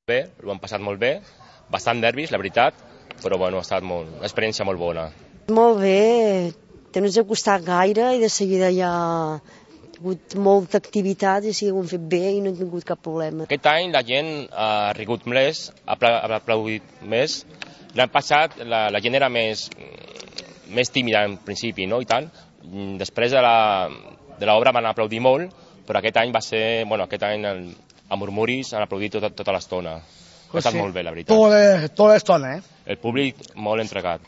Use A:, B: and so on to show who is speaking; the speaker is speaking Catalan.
A: Bé, ho hem passat molt bé, bastant nervis, la veritat, però bueno, ha estat una experiència molt bona.
B: Molt bé, no ens ha costat gaire i de seguida ja ha hagut molta activitat i sí, ho hem fet bé i no hem tingut cap problema.
A: Aquest any la gent ha rigut més, ha aplaudit més. L'any passat la gent era més tímida en principi, no? I tant. Després de l'obra van aplaudir molt, però aquest any va ser, aquest any a murmuris han aplaudit tota l'estona. Ha estat molt bé, la veritat.
C: Tota l'estona,
A: El públic molt entregat.